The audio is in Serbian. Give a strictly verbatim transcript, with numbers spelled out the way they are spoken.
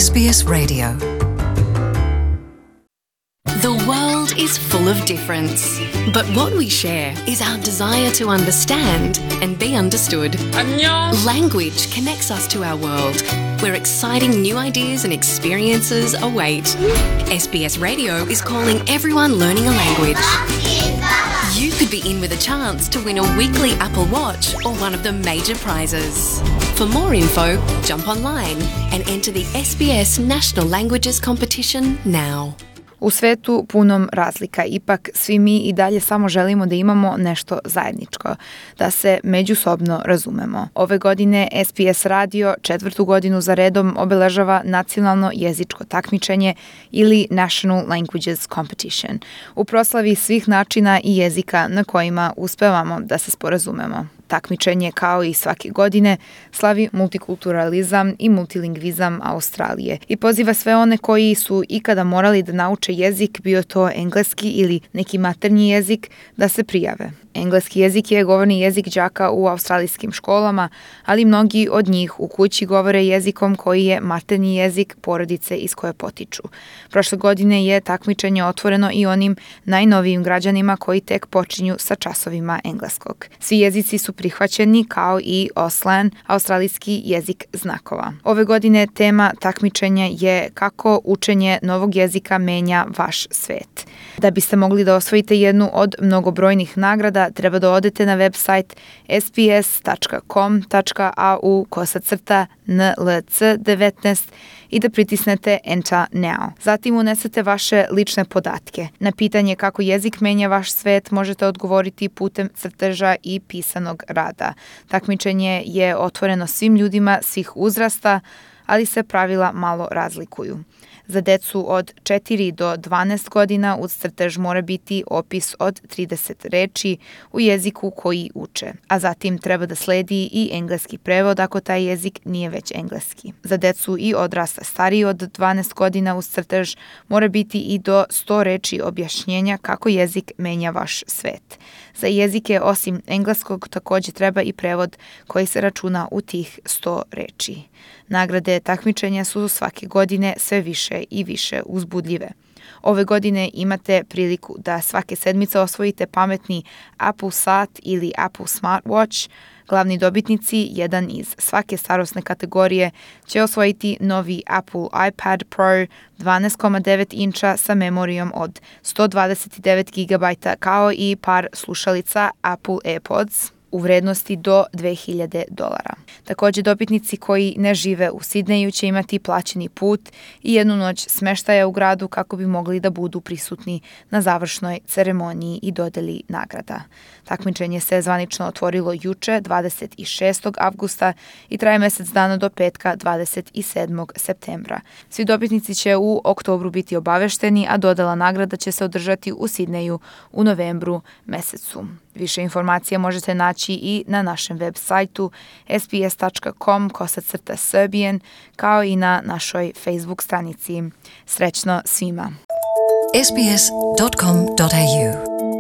S B S Radio. The world is full of difference, but what we share is our desire to understand and be understood. 안녕. Language connects us to our world, where exciting new ideas and experiences await. S B S Radio is calling everyone learning a language. You could be in with a chance to win a weekly Apple Watch or one of the major prizes. For more info, jump online and enter the S B S National Languages Competition now. U svetu punom razlika, ipak svi mi i dalje samo želimo da imamo nešto zajedničko, da se međusobno razumemo. Ove godine S B S Radio četvrtu godinu za redom obeležava nacionalno jezičko takmičenje ili National Languages Competition, u proslavi svih načina i jezika na kojima uspevamo da se sporazumemo. Takmičenje, kao i svake godine, slavi multikulturalizam i multilingvizam Australije i poziva sve one koji su ikada morali da nauče jezik, bio to engleski ili neki maternji jezik, da se prijave. Engleski jezik je govorni jezik đaka u australijskim školama, ali mnogi od njih u kući govore jezikom koji je maternji jezik porodice iz koje potiču. Prošle godine je takmičenje otvoreno i onim najnovijim građanima koji tek počinju sa časovima engleskog. Svi jezici su prihvaćeni, kao i Auslan, australijski jezik znakova. Ove godine tema takmičenja je kako učenje novog jezika menja vaš svet. Da biste mogli da osvojite jednu od mnogobrojnih nagrada, treba da odete na website s b s tačka com tačka a u kosacrta n l c devetnaest i da pritisnete Enter Now. Zatim unesete vaše lične podatke. Na pitanje kako jezik menja vaš svet možete odgovoriti putem crteža i pisanog rada. Takmičenje je otvoreno svim ljudima svih uzrasta, ali se pravila malo razlikuju. Za decu od četiri do dvanaest godina uz crtež mora biti opis od trideset reči u jeziku koji uče, a zatim treba da sledi i engleski prevod ako taj jezik nije već engleski. Za decu i odrasle stariji od dvanaest godina uz crtež mora biti i do sto reči objašnjenja kako jezik menja vaš svet. Za jezike osim engleskog takođe treba i prevod koji se računa u tih sto reči. Nagrade takmičenja su svake godine sve više i više uzbudljive. Ove godine imate priliku da svake sedmice osvojite pametni Apple sat ili Apple Smartwatch. Glavni dobitnici, jedan iz svake starosne kategorije, će osvojiti novi Apple iPad Pro dvanaest zarez devet inča sa memorijom od sto dvadeset devet gigabajta, kao i par slušalica Apple AirPods u vrednosti do dve hiljade dolara. Takođe, dobitnici koji ne žive u Sidneju će imati plaćeni put i jednu noć smeštaja u gradu kako bi mogli da budu prisutni na završnoj ceremoniji i dodeli nagrada. Takmičenje se zvanično otvorilo juče, dvadeset šestog avgusta i traje mesec dana do petka, dvadeset sedmog septembra. Svi dobitnici će u oktobru biti obavešteni, a dodela nagrada će se održati u Sidneju u novembru mesecu. Više informacija možete naći i na našem web sajtu s b s tačka com kosacrta Serbian, kao i na našoj Facebook stranici. Srećno svima! s b s dot com dot a u